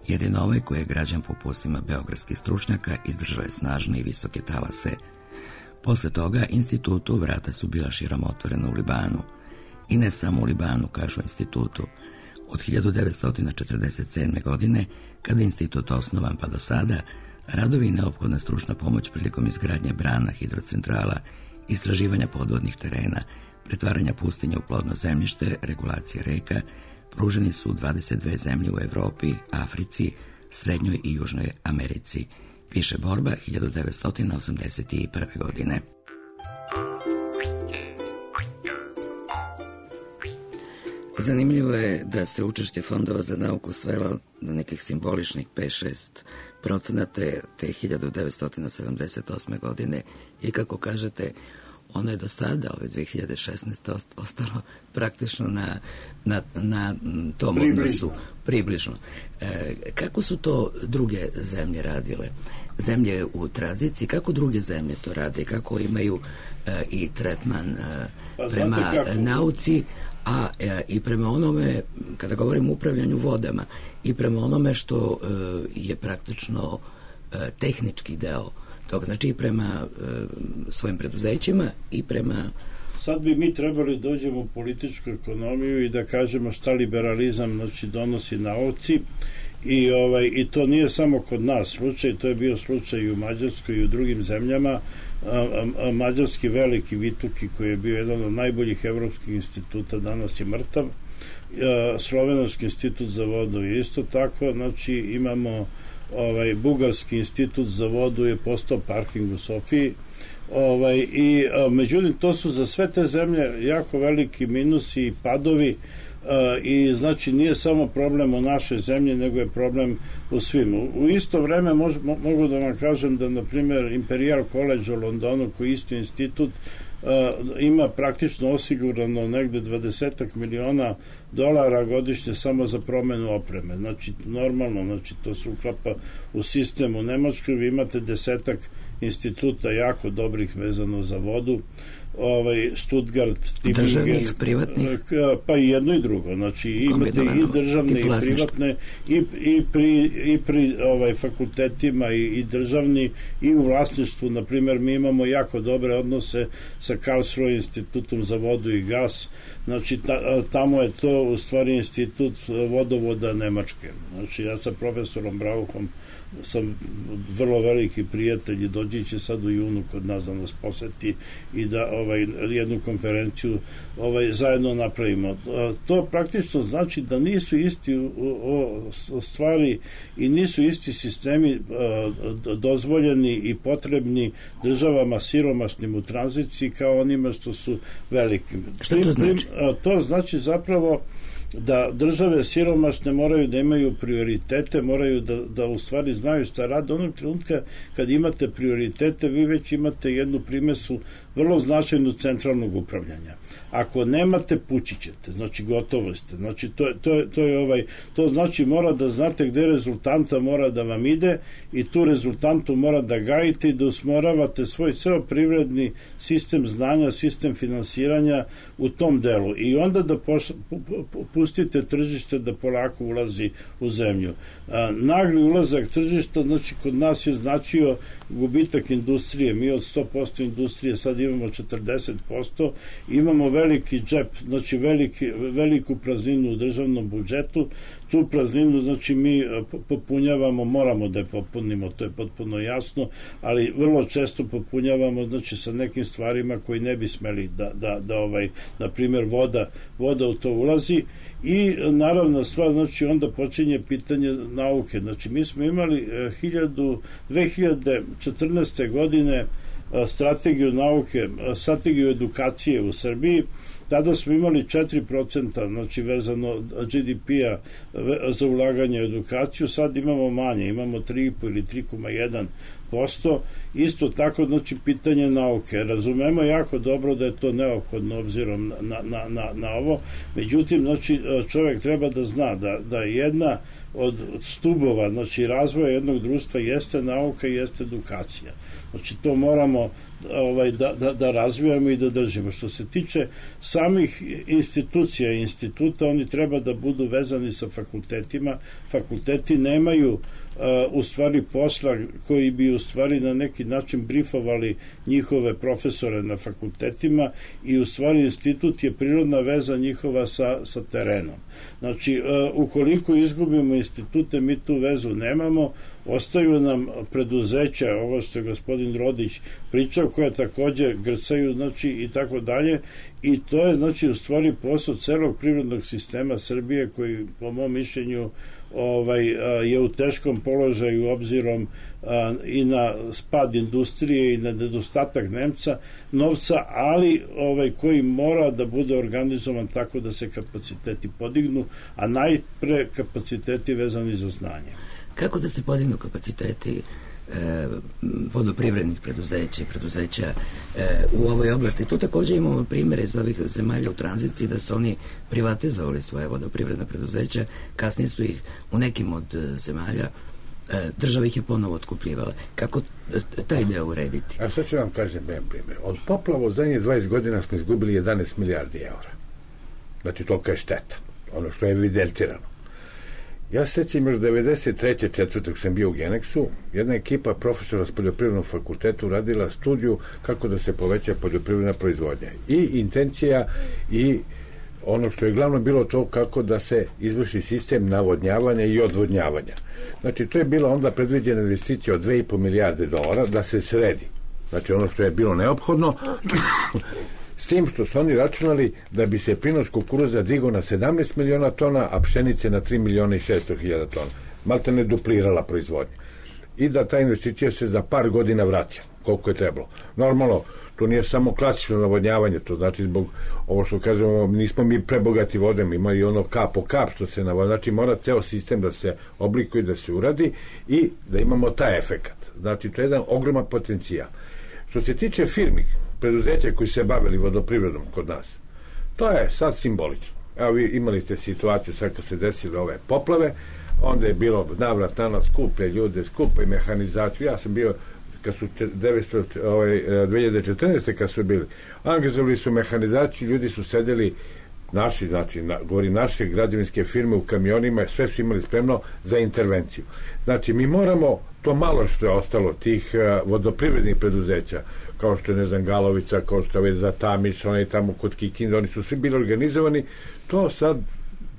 Jedino ovaj, koji je građan po uputstvima beogradskih stručnjaka, izdržao je snažne i visoke talase. Posle toga institutu vrata su bila širom otvorena u Libanu. I ne samo u Libanu, kažu institutu. Od 1947. godine, kada je institut osnovan pa do sada, radovi i neophodna stručna pomoć prilikom izgradnje brana, hidrocentrala, istraživanja podvodnih terena, pretvaranja pustinja u plodno zemljište, regulacije reka, pruženi su 22 zemlje u Evropi, Africi, Srednjoj i Južnoj Americi. Piše Borba 1981. godine. Zanimljivo je da se učešće fondova za nauku svelo na nekih simboličnih 5-6% te 1978. godine i, kako kažete, ono je do sada, ove 2016. ostalo praktično na tom odnosu, približno. Kako su to druge zemlje radile? Zemlje u tranziciji, kako druge zemlje to rade? Kako imaju i tretman prema nauci, a i prema onome, kada govorimo o upravljanju vodama, i prema onome što je praktično tehnički deo toga, znači i prema svojim preduzećima i prema... Sad bi mi trebali dođemo u političku ekonomiju i da kažemo šta liberalizam, znači, donosi nauci i to nije samo kod nas slučaj, to je bio slučaj i u Mađarskoj i u drugim zemljama. Mađarski veliki Vituki, koji je bio jedan od najboljih evropskih instituta, danas je mrtav. Slovenački institut za vodu je isto tako, znači imamo Bugarski institut za vodu je postao parking u Sofiji. Međutim, to su za sve te zemlje jako veliki minusi i padovi, i znači nije samo problem u našoj zemlji, nego je problem u svim. U isto vreme mogu da vam kažem da, na primjer, Imperial College u Londonu, koji isti institut, ima praktično osigurano negde 20 miliona dolara godišnje samo za promenu opreme. Znači, normalno, znači, to se uklapa u sistem. U Nemačkoj vi imate 10 instituta jako dobrih vezano za vodu. Stuttgart, državnih, privatnih, pa i jedno i drugo, znači imate i državne i privatne i pri fakultetima i državni i u vlasništvu. Na primjer, mi imamo jako dobre odnose sa Karlsruhe institutom za vodu i gas, znači tamo je to u stvari institut vodovoda Nemačke. Znači ja sa profesorom Brauchom sam vrlo veliki prijatelj i dođi će sad u junu kod nas da nas poseti i da jednu konferenciju zajedno napravimo. To praktično znači da nisu isti stvari i nisu isti sistemi dozvoljeni i potrebni državama siromašnim u tranziciji kao onima što su veliki. Šta to znači? To znači zapravo da države siromašne moraju da imaju prioritete, moraju da u stvari znaju šta rade. Onog trenutka kad imate prioritete, vi već imate jednu primesu vrlo značajnu centralnog upravljanja. Ako nemate, pući ćete, znači gotovo ste. Znači to znači mora da znate gde rezultanta mora da vam ide i tu rezultantu mora da gajite i da usmeravate svoj ceo privredni sistem znanja, sistem finansiranja u tom delu. I onda da pustite tržište da polako ulazi u zemlju. Nagli ulazak tržišta, znači kod nas je značio gubitak industrije. Mi od 100% industrije sad imamo 40%, imamo veliki džep, znači veliku prazninu u državnom budžetu. Tu prazninu, znači mi popunjavamo, moramo da je popunimo, to je potpuno jasno, ali vrlo često popunjavamo, znači sa nekim stvarima koji ne bi smeli da na primjer voda u to ulazi. I naravno stvar, znači onda počinje pitanje nauke. Znači mi smo imali 2014. godine strategiju nauke, strategiju edukacije u Srbiji. Tada smo imali 4%, znači vezano GDP-a za ulaganje u edukaciju, sad imamo manje, imamo 3,5 ili 3,1%. Isto tako, znači, pitanje nauke. Razumemo jako dobro da je to neophodno obzirom na ovo, međutim, znači, čovjek treba da zna da jedna od stubova, znači, razvoja jednog društva jeste nauka i jeste edukacija. Znači, to moramo da razvijamo i da držimo. Što se tiče samih institucija i instituta, oni treba da budu vezani sa fakultetima. Fakulteti nemaju u stvari posla koji bi u stvari na neki način brifovali njihove profesore na fakultetima i u stvari institut je prirodna veza njihova sa terenom. Znači, ukoliko izgubimo institute, mi tu vezu nemamo, ostaju nam preduzeća, ovo što je gospodin Rodić pričao, koje takođe grcaju, znači, i tako dalje, i to je, znači, u stvari posao celog privrednog sistema Srbije koji, po mom mišljenju, je u teškom položaju obzirom i na spad industrije i na nedostatak novca, ali koji mora da bude organizovan tako da se kapaciteti podignu, a najpre kapaciteti vezani za znanje. Kako da se podignu kapaciteti vodoprivrednih preduzeća u ovoj oblasti? Tu takođe imamo primere iz ovih zemalja u tranziciji da su oni privatizovali svoje vodoprivredna preduzeća, kasnije su ih u nekim od zemalja država ih je ponovo otkupljivala. Kako taj deo urediti? A sad ću vam kažem jedan primjer. Od poplava u zadnjih 20 godina smo izgubili 11 milijardi eura. Znači, tolika je šteta. Ono što je evidentirano. Ja se sjećam još 93. četvrtog sam bio u Geneksu, jedna ekipa profesora s poljoprivrednog fakulteta uradila studiju kako da se poveća poljoprivredna proizvodnja. I intencija i ono što je glavno bilo to kako da se izvrši sistem navodnjavanja i odvodnjavanja. Znači, to je bila onda predviđena investicija od 2,5 milijarde dolara da se sredi. Znači, ono što je bilo neophodno, s tim što su oni računali da bi se prinos kukuruza digao na 17 miliona tona, a pšenice na 3 miliona i 600 hiljada tona. Malta ne duplirala proizvodnja. I da ta investicija se za par godina vraća, koliko je trebalo. Normalno, to nije samo klasično navodnjavanje, to znači zbog ovo što kažemo, nismo mi prebogati vodom, ima i ono kap po kap što se navodnjava. Znači, mora ceo sistem da se oblikuje, da se uradi i da imamo taj efekat. Znači, to je jedan ogroman potencijal. Što se tiče firmi, preduzeća koji se bavili vodoprivredom kod nas, to je sad simbolično. Evo, vi imali ste situaciju sad kad se desile ove poplave, onda je bilo navrat na nas, skupe ljude, skupe mehanizaciju. Ja sam bio kad su 2014. kad su bili, angažovali su mehanizaciju, ljudi su sedeli naši, znači, govorim naše građevinske firme u kamionima, sve su imali spremno za intervenciju. Znači, mi moramo to malo što je ostalo tih vodoprivrednih preduzeća, kao što je, ne znam, Galovica, kao što je za Tamiš, onaj tamo kod Kikinda, oni su svi bili organizovani, to sad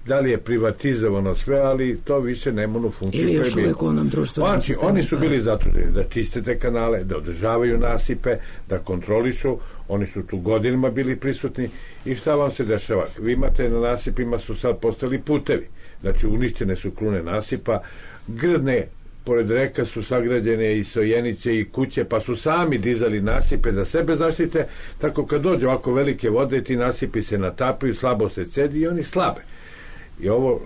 da li je privatizovano sve, ali to više nema onu funkciju. Ili još uvijek u onom društvenom znači, sistemu. oni su bili zaduženi da čiste te kanale, da održavaju nasipe, da kontrolišu, oni su tu godinama bili prisutni i šta vam se dešava? Vi imate na nasipima su sad postali putevi, znači uništene su krune nasipa, grdne pored reka su sagrađene i sojenice i kuće, pa su sami dizali nasipe da sebe zaštite, tako kad dođe ovako velike vode, ti nasipi se natapaju, slabo se cedi i oni slabe. I ovo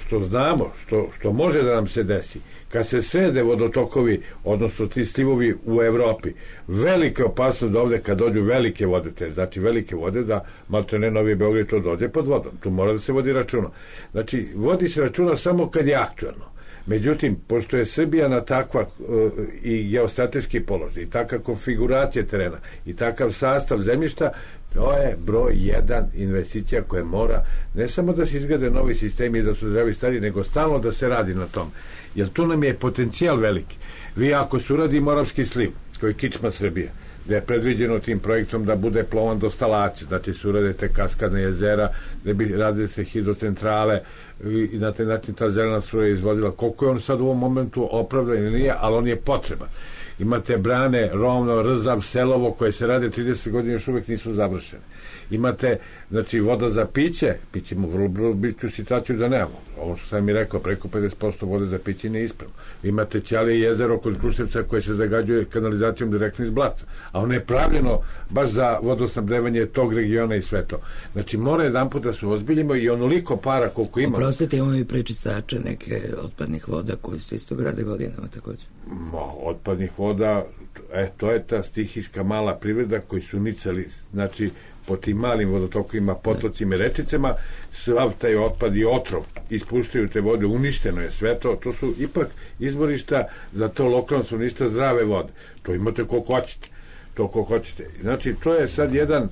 što znamo, što može da nam se desi, kad se srede vodotokovi, odnosno ti slivovi u Evropi, velika opasnost da ovde kad dođu velike vode, znači velike vode, da maltene Novi Beograd to dođe pod vodom. Tu mora da se vodi računa. Znači, vodi se računa samo kad je aktuelno. Međutim, pošto je Srbija na takva i geostrateški položaj, i takva konfiguracija terena, i takav sastav zemljišta, to je broj 1 investicija koja mora ne samo da se izgrade novi sistemi i da su zdravi stari, nego stalno da se radi na tom. Jer tu nam je potencijal veliki. Vi ako se uradi Moravski sliv, koji je kičma Srbije, da je predviđeno tim projektom da bude plovan do Stalaća, znači se urade te kaskadne jezera, da bi radili se hidrocentrale i na taj način ta zelena struja izvodila. Koliko je on sad u ovom momentu opravdan ili nije, ali on je potreban. Imate brane Rovno, Rzav, Selovo koje se rade 30 godina, još uvijek nisu završene. Imate, znači, voda za piće, pićemo vrlo biću situaciju da nemamo. Ovo što sam mi rekao, preko 50% vode za piće nije ispravno. Imate Ćalije jezero kod Kruševca koje se zagađuje kanalizacijom direktno iz Blaca, a ono je pravljeno baš za vodosnabdevanje tog regiona i sve to. Znači, mora jedan put da se ozbiljimo i onoliko para koliko imamo. Oprostite, imamo i prečistače neke otpadnih voda koji se isto grade godinama također. Otpadnih voda, to je ta stihijska mala privreda koji su nicali, znači, po tim malim vodotokovima, potocima i rečicama, sav taj otpad i otrov ispuštaju te vode, uništeno je sve to, to su ipak izvorišta za to lokalno stanovništvo zdrave vode. To imate koliko hoćete. Znači, to je sad jedan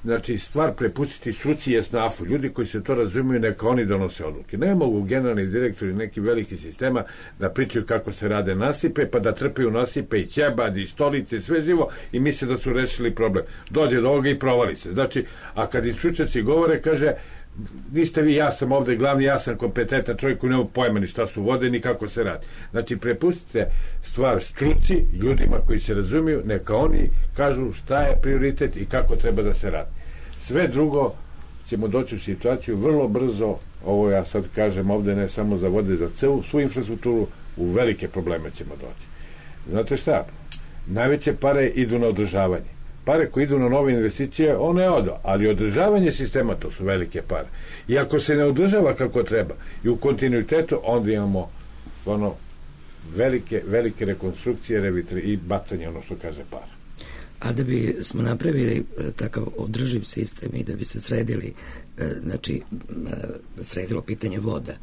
znači, stvar prepustiti struci i esnafu. Ljudi koji se to razumiju, neka oni donose odluke. Ne mogu generalni direktori neki veliki sistema da pričaju kako se rade nasipe, pa da trpaju nasipe i ćebad i stolice i sve živo i misle da su rešili problem. Dođe do ovoga i provali se. Znači, a kad i stručnjaci govore, kaže, niste vi, ja sam ovde glavni, ja sam kompetentan čovjek koji nema pojma ni šta su vode, ni kako se radi. Znači, prepustite stvar struci, ljudima koji se razumiju, neka oni kažu šta je prioritet i kako treba da se radi. Sve drugo ćemo doći u situaciju vrlo brzo, ovo ja sad kažem ovde ne samo za vode, za svu infrastrukturu, u velike probleme ćemo doći. Znate šta? Najveće pare idu na održavanje. Pare koje idu na nove investicije, one odo, ali održavanje sistema, to su velike pare. I ako se ne održava kako treba i u kontinuitetu, onda imamo ono velike rekonstrukcije i bacanje, ono što kaže para. A da bi smo napravili takav održiv sistem i da bi se sredili, znači sredilo pitanje voda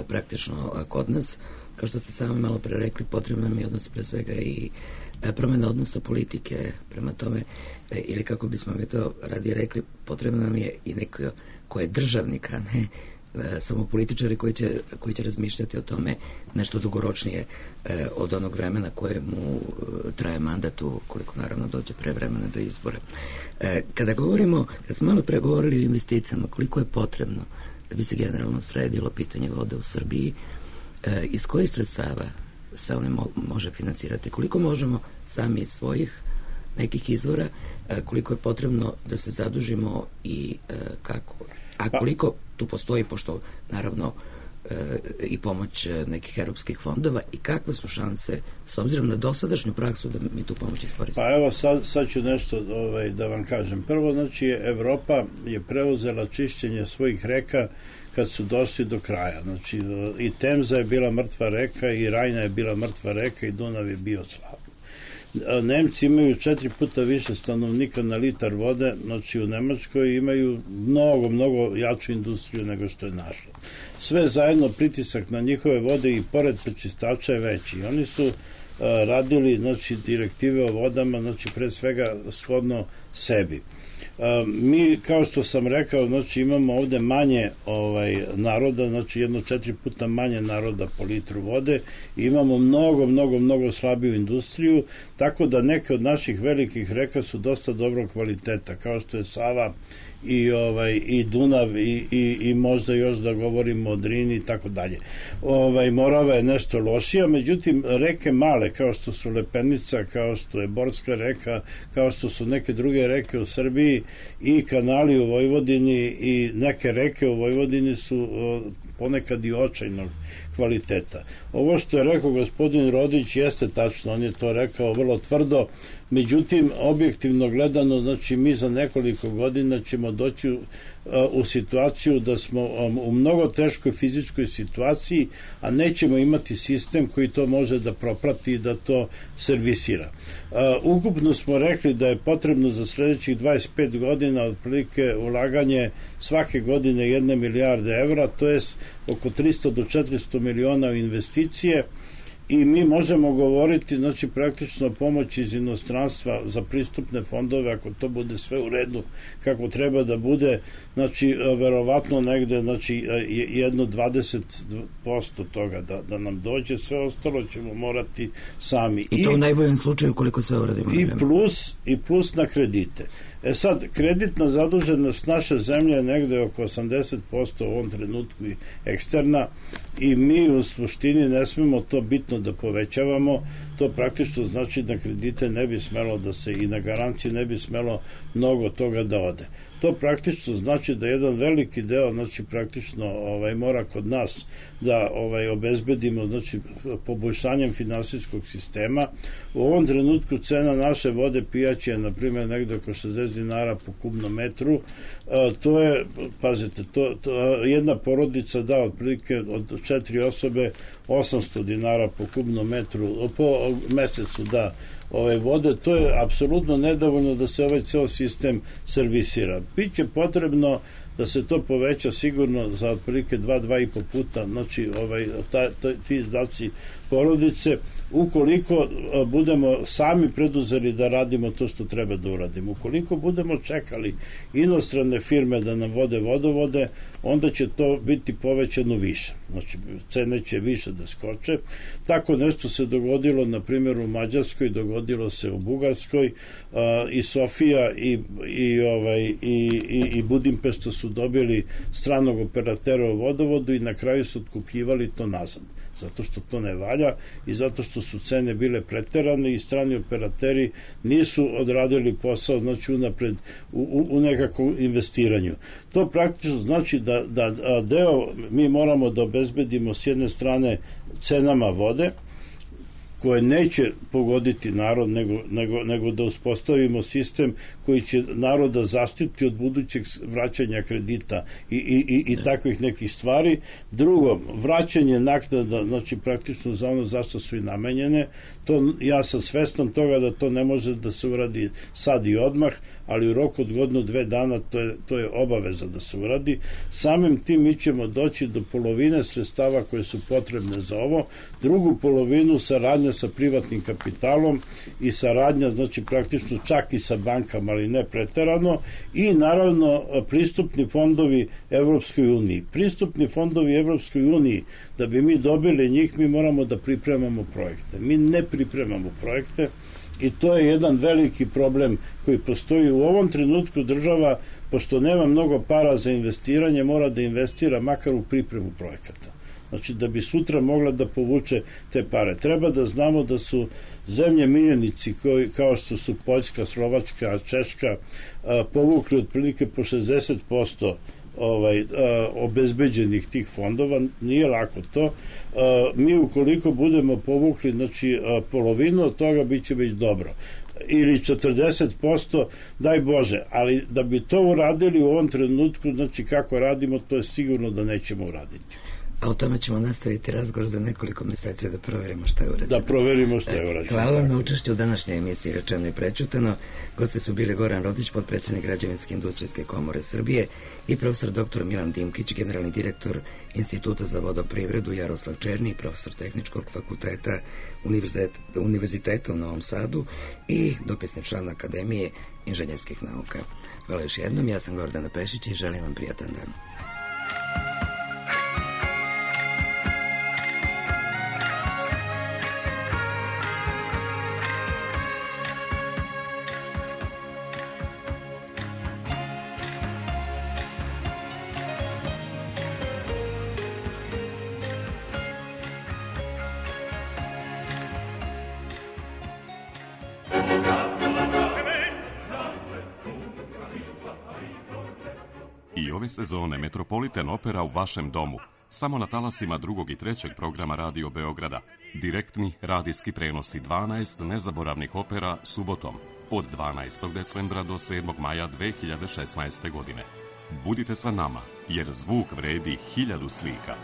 praktično kod nas, kao što ste sami malo pre rekli, potrebno nam je odnos pre svega i promjena odnosa politike prema tome, ili kako bismo mi to radije rekli, potrebno nam je i neko ko je državnik, a ne samo političari koji će razmišljati o tome nešto dugoročnije od onog vremena koje mu traje mandat, koliko naravno dođe pre vremena do izbora. Kada smo malo pregovorili o investicijama, koliko je potrebno da bi se generalno sredilo pitanje vode u Srbiji, iz kojih sredstava se one može financirati, koliko možemo sami iz svojih nekih izvora, koliko je potrebno da se zadužimo i kako, a koliko tu postoji, pošto naravno i pomoć nekih europskih fondova, i kakve su šanse s obzirom na dosadašnju praksu da mi tu pomoć iskoristimo. Pa evo sad ću nešto da vam kažem. Prvo, znači, Evropa je preuzela čišćenje svojih reka kad su došli do kraja. Znači, i Temza je bila mrtva reka, i Rajna je bila mrtva reka, i Dunav je bio slab. Nemci imaju 4 puta više stanovnika na litar vode, znači u Nemačkoj imaju mnogo jaču industriju nego što je naša. Sve zajedno, pritisak na njihove vode i pored prečistača je veći. Oni su radili, znači, direktive o vodama, znači, pre svega shodno sebi. Mi, kao što sam rekao, znači, imamo ovde manje naroda, znači 1-4 puta manje naroda po litru vode i imamo mnogo slabiju industriju, tako da neke od naših velikih reka su dosta dobrog kvaliteta, kao što je Sava i Dunav i možda još da govorimo o Drini i tako dalje. Morava je nešto lošija, međutim reke male kao što su Lepenica, kao što je Borska reka, kao što su neke druge reke u Srbiji i kanali u Vojvodini i neke reke u Vojvodini su ponekad i očajnog kvaliteta. Ovo što je rekao gospodin Rodić jeste tačno, on je to rekao vrlo tvrdo, međutim, objektivno gledano, znači mi za nekoliko godina ćemo doći u situaciju da smo u mnogo teškoj fizičkoj situaciji, a nećemo imati sistem koji to može da proprati i da to servisira. Ukupno smo rekli da je potrebno za sledećih 25 godina otprilike ulaganje svake godine 1 milijarde evra, to je oko 300 do 400 miliona u investicije, i mi možemo govoriti, znači, praktično pomoć iz inostranstva za pristupne fondove, ako to bude sve u redu kako treba da bude, znači, verovatno negde, znači, 20% toga da nam dođe, sve ostalo ćemo morati sami. I to u najboljem slučaju koliko sve uradimo. I plus na kredite. Sad, kreditna zaduženost naše zemlje je negde oko 80% u ovom trenutku i eksterna, i mi u suštini ne smemo to bitno da povećavamo. To praktično znači da kredite ne bi smelo da se, i na garancije ne bi smelo mnogo toga da ode. To praktično znači da jedan veliki deo, znači, praktično mora kod nas da obezbedimo, znači, poboljšanjem finansijskog sistema. U ovom trenutku cena naše vode pijaće je, na primjer, negde oko 60 dinara po kubnom metru. To je, pazite, jedna porodica da otprilike od 4 osobe 800 dinara po kubnom metru, po mesecu da vode. To je apsolutno nedovoljno da se ovaj ceo sistem servisira. Biće potrebno da se to poveća sigurno za otprilike 2,5 puta, znači ti izdaci porodice, ukoliko budemo sami preduzeli da radimo to što treba da uradimo. Ukoliko budemo čekali inostrane firme da nam vode vodovode, onda će to biti povećano više. Znači, cene će više da skoče. Tako nešto se dogodilo, na primjer, u Mađarskoj, dogodilo se u Bugarskoj, i Sofija i Budimpešta su dobili stranog operatera u vodovodu i na kraju su otkupljivali to nazad, zato što to ne valja i zato što su cene bile preterane i strani operateri nisu odradili posao, znači, unapred u nekakvom investiranju. To praktično znači da deo mi moramo da obezbedimo s jedne strane cenama vode, koje neće pogoditi narod, nego da uspostavimo sistem koji će naroda zaštiti od budućeg vraćanja kredita i takvih nekih stvari. Drugo, vraćanje naknada, znači, praktično za ono zašto su i namenjene. To, ja sam svestan toga da to ne može da se uradi sad i odmah, ali u roku od 1-2 dana to je obaveza da se uradi. Samim tim mi ćemo doći do polovine sredstava koje su potrebne za ovo, drugu polovinu saradnja sa privatnim kapitalom i saradnja, znači, praktično čak i sa bankama, ali ne preterano, i naravno pristupni fondovi Evropskoj uniji. Pristupni fondovi Evropskoj uniji, da bi mi dobili njih, mi moramo da pripremamo projekte. Mi ne pripremamo projekte i to je jedan veliki problem koji postoji u ovom trenutku. Država, pošto nema mnogo para za investiranje, mora da investira makar u pripremu projekata. Znači, da bi sutra mogla da povuče te pare. Treba da znamo da su zemlje miljenici, kao što su Poljska, Slovačka, Češka, povukli otprilike po 60% obezbeđenih tih fondova. Nije lako to. Mi ukoliko budemo povukli, znači, polovinu od toga, bit će već dobro. Ili 40%, daj Bože, ali da bi to uradili u ovom trenutku, znači, kako radimo, to je sigurno da nećemo uraditi. A o tome ćemo nastaviti razgovor za nekoliko meseci da proverimo šta je urađeno. Da proverimo šta je urađeno. Hvala vam na učešću u današnjoj emisiji Rečeno i prećutano. Gosti su bili Goran Rodić, potpredsednik Građevinske industrijske komore Srbije, i profesor dr. Milan Dimkić, generalni direktor Instituta za vodoprivredu, Jaroslav Černi, profesor Tehničkog fakulteta Univerziteta u Novom Sadu i dopisni član Akademije inženjerskih nauka. Hvala još jednom, ja sam Gordana Pešić i želim vam prijatan dan. Ove sezone Metropolitan Opera u vašem domu, samo na talasima 2. i 3. programa Radio Beograda. Direktni radijski prenosi 12 nezaboravnih opera subotom od 12. decembra do 7. maja 2016. godine. Budite sa nama, jer zvuk vredi 1000 slika.